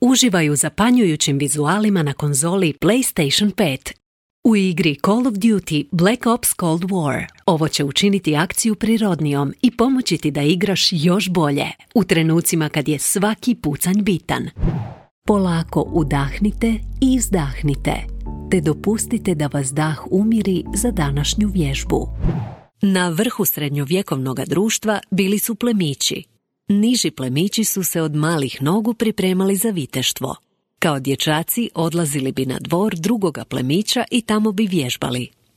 uživaj u zapanjujućim vizualima na konzoli PlayStation 5. U igri Call of Duty Black Ops Cold War ovo će učiniti akciju prirodnijom i pomoći ti da igraš još bolje u trenucima kad je svaki pucanj bitan. Polako udahnite i izdahnite, te dopustite da vas dah umiri za današnju vježbu. Na vrhu srednjovjekovnog društva bili su plemići. Niži plemići su se od malih nogu pripremali za viteštvo. Kao dječaci odlazili bi na dvor drugoga plemića i tamo bi vježbali.